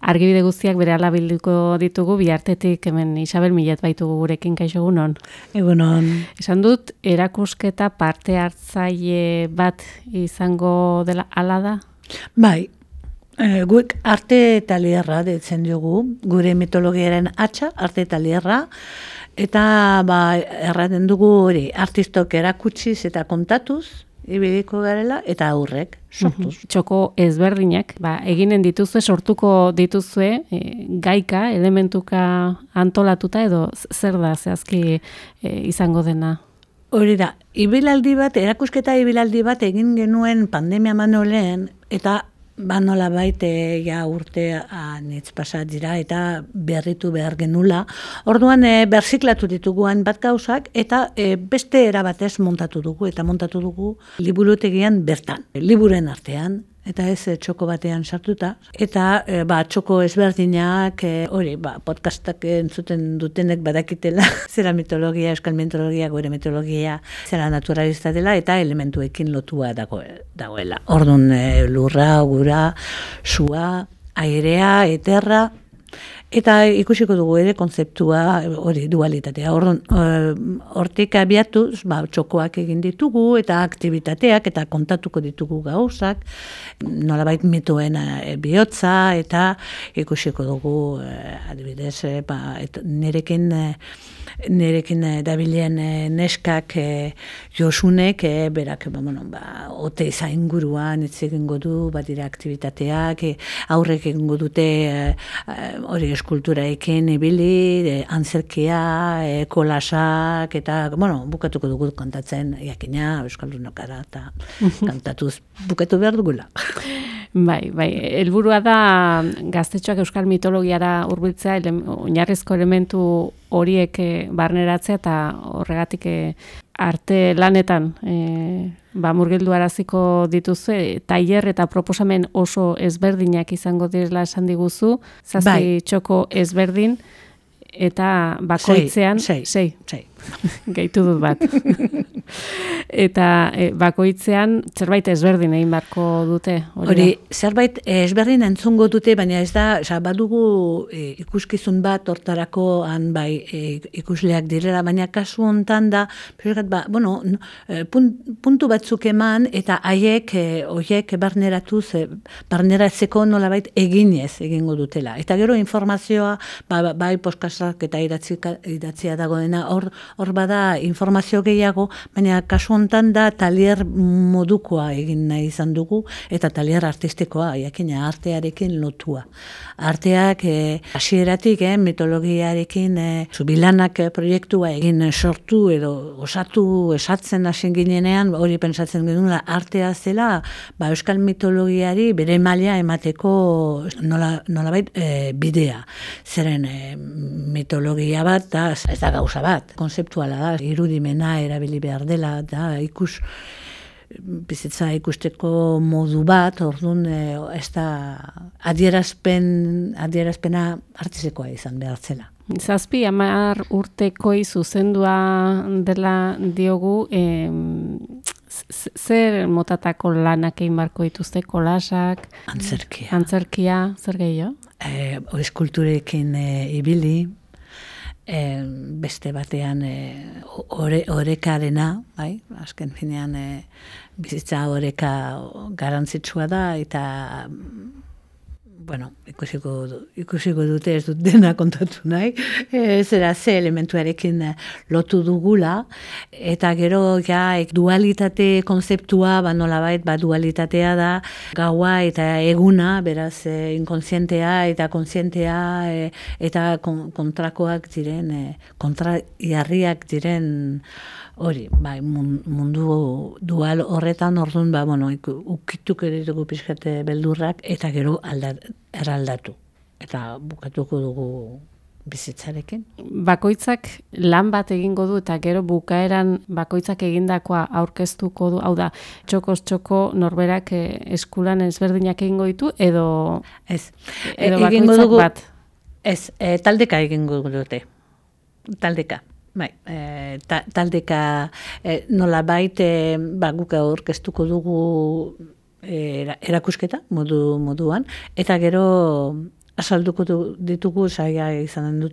argibide guztiak berehala bilduko ditugu, bihartetik hemen Isabel Millet baitugu gurekin, kaixo egunon. Egunon. Esan dut, erakusketa parte hartzaile bat izango dela hala da? Bai, guk arte talierra deitzen dugu, gure mitologiaren atxa, arte talierra, eta erraten dugu hori, artistok erakutsiz eta kontatuz, ibiliko garela, eta aurrek sortuz. Txoko ezberdinak, eginen dituzue, sortuko dituzue, gaika, elementuka antolatuta edo zer da zehazki izango dena? Hori da, erakusketa ibilaldi bat egin genuen pandemia baino lehen, eta nola baite urte anitz pasat dira eta berritu behar genula. Orduan berziklatu dituguan bat gauzak eta beste erabatez montatu dugu liburutegian bertan, liburen artean. Eta ez txoko batean sartuta. Eta txoko ezberdinak, podcastak entzuten dutenek badakitela, zera mitologia, euskal mitologia, gure mitologia, zera naturalista dela, eta elementuekin lotua dagoela. Orduan lurra, gura, sua, airea, eterra, eta ikusiko dugu ere kontzeptua hori dualitatea. Hortik abiatuz, txokoak egin ditugu eta aktibitateak eta kontatuko ditugu gauzak, nolabait mitoen bihotza eta ikusiko dugu adibidez nerekin dabilen neskak Josunek berak ote zainguruan hitz egingo du, badira aktibitateak, aurrek egingo dute hori eskulturaekin ibili, antzerkia, kolasak, eta, bukatuko dugu kantatzen, jakina, euskaldunokara, eta kantatuz bukatu behar dugula. Bai, helburua da gaztetxoak euskal mitologiara hurbiltzea, oinarrizko elementu horiek barneratzea, eta horregatik arte lanetan murgildu araziko dituzue, tailer eta proposamen oso ezberdinak izango direla esan diguzu, zazpi txoko ezberdin, eta bakoitzean... Sei. Gaitu dut bat. Eta bakoitzean zerbait ezberdin egin barko dute. Hori, zerbait ezberdin entzungo dute, baina ez da, badugu ikuskizun bat hortarako ikusleak direla, baina kasu hontan da, puntu batzuk eman, eta haiek barneratzeko nolabait egingo dutela. Eta gero informazioa, bai postkastak eta idatzia dagoena, hor bada informazio gehiago, baina kasu hontan da talier modukoa egin nahi izan dugu, eta talier artistikoa, jakina artearekin lotua. Arteak hasieratik mitologiarekin zubilanak proiektua egin sortu edo osatu esatzen hasen ginenean, hori pentsatzen genuen artea zela, euskal mitologiari bere maila emateko nolabait bidea. Zeren mitologia bat, ez da gauza bat, konzeptuala da, irudimena erabili behar dela, da bizitza ikusteko modu bat, orduan ez da adierazpena artistekoa izan behar zela. 7-10 urtekoi zuzendua dela diogu, zer motatako lanak egin barko dituzte, kolasak? Antzerkia, zer gehiago? Eskulturekin ibili, beste batean orekarena, azken finean bizitza oreka garantzitsua da, eta ikusiko dute ez dut dena kontatu nahi, ze elementuarekin lotu dugula, eta gero dualitate konzeptua, nolabait dualitatea da, gaua eta eguna, beraz inkontzientea eta kontzientea, eta kontrakoak diren, kontraiarriak diren hori, mundu dual horretan, orduan, ukituk editugu pixkate beldurrak, eta gero eraldatu. Eta bukatuko dugu bizitzarekin. Bakoitzak lan bat egingo du, eta gero bukaeran bakoitzak egindakoa aurkeztuko du, hau da, txokoz txoko norberak eskulan ezberdinak egingo ditu, edo bakoitzak bat? Ez, taldeka egingo dute. Taldeka. Taldeka nolabait guk aurkeztuko dugu erakusketa moduan, eta gero asalduko ditugu saia izanen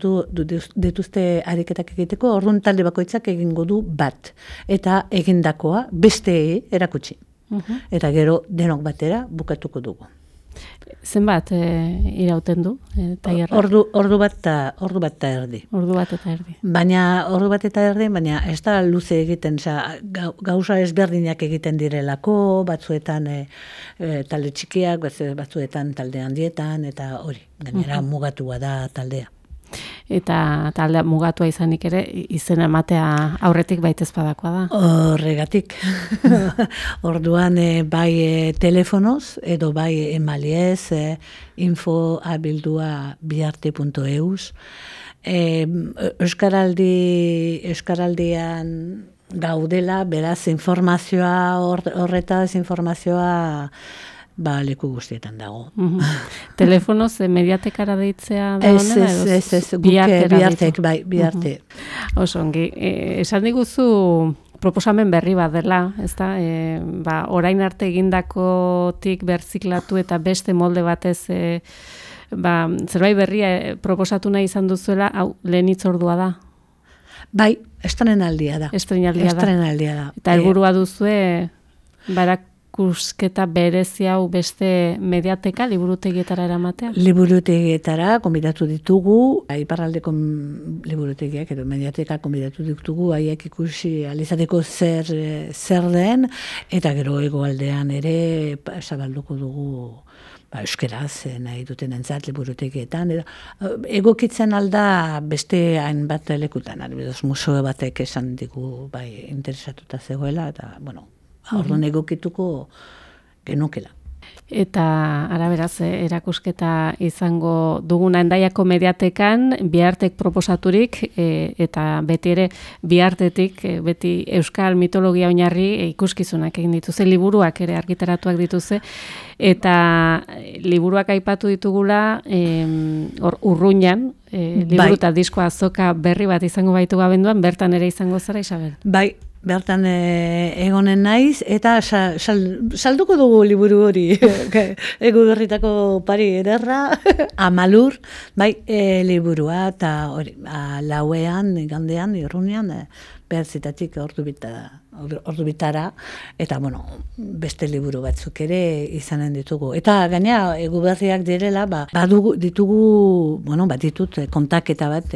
dituzte ariketak egiteko, orduan talde bakoitzak egingo du bat. Eta egindakoa beste erakutsi. Eta gero denok batera bukatuko dugu. Zenbat irauten du tailerra? Ordu bat eta erdi. Ordu bat eta erdi. Baina baina ez da luze egiten, gauza ezberdinak egiten direlako, batzuetan talde txikiak, batzuetan talde handietan, eta hori, gainera mugatua da taldea. Eta taldea mugatua izanik ere, izena ematea aurretik baitez badakoa da. Horregatik. Orduan bai telefonoz, edo bai emaliez, info@biarte.eus. Euskaraldian gaudela, beraz informazioa leku guztietan dago. Telefonoz mediatekara deitzea da honela? Ez, biarte. Oso ongi. Esan diguzu proposamen berri bat dela, ezta? Orain arte egindakotik berziklatu eta beste molde batez zerbait berria proposatu nahi izan duzuela, hau lehen hitzordua da? Bai, estrenaldia da. Eta helburua duzue barakusketa berezi hau beste mediateka, liburutegietara eramatea? Liburutegietara konbidatu ditugu, iparraldeko liburutegiak edo mediateka konbidatu ditugu, haiek ikusi alizateko zer den, eta gero hegoaldean ere zabalduko dugu euskeraz nahi duten entzat liburutegietan. Egokitzen alda beste hainbat lekutan, adibidez museo batek esan digu interesatuta zegoela, eta orduan egokituko genukela. Eta araberaz, erakusketa izango duguna Hendaiako mediatekan, Biartek proposaturik, eta beti ere Biartetik, beti euskal mitologia oinarri ikuskizunak egin dituze, liburuak ere argitaratuak dituze, eta liburuak aipatu ditugula, Urruñan, liburu eta diskoa azoka berri bat izango baitu abenduan, bertan ere izango zara, Isabel? Bai. Bertan egonen naiz, eta salduko dugu liburu hori, egu berritako pari ederra, Amalur, liburua, eta hori, lauean, igandean, Urruñan, behatzitatik ordu bitara, eta beste liburu batzuk ere izanen ditugu. Eta gainera, egu berriak direla, ditut kontaketa bat,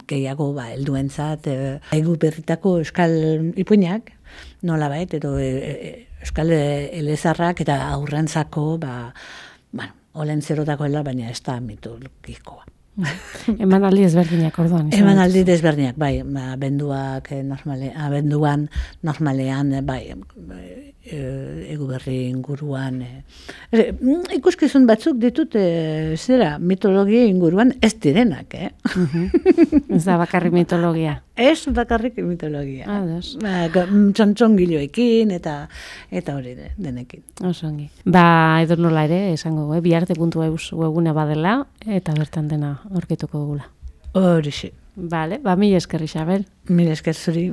gehiago helduentzat, egu berritako euskal ipuinak, nola bait, edo euskal elezarrak eta aurrentzako, olen zerotako baina ez da mitologikoa. Emanaldi ezberdinak orduan. Emanaldi ezberdinak, abenduan normalean, egu berri inguruan. Ikuskizun batzuk ditut, mitologia inguruan ez direnak, Ez da bakarrik mitologia. Ez bakarrik mitologia. Txontxongiloekin eta hori denekin. Osongi. Edo nola ere, esango, biarte.eus webgune badela, eta bertan dena aurkituko dugula. Horixe. Bale, mila esker, Isabel. Mila esker zuri.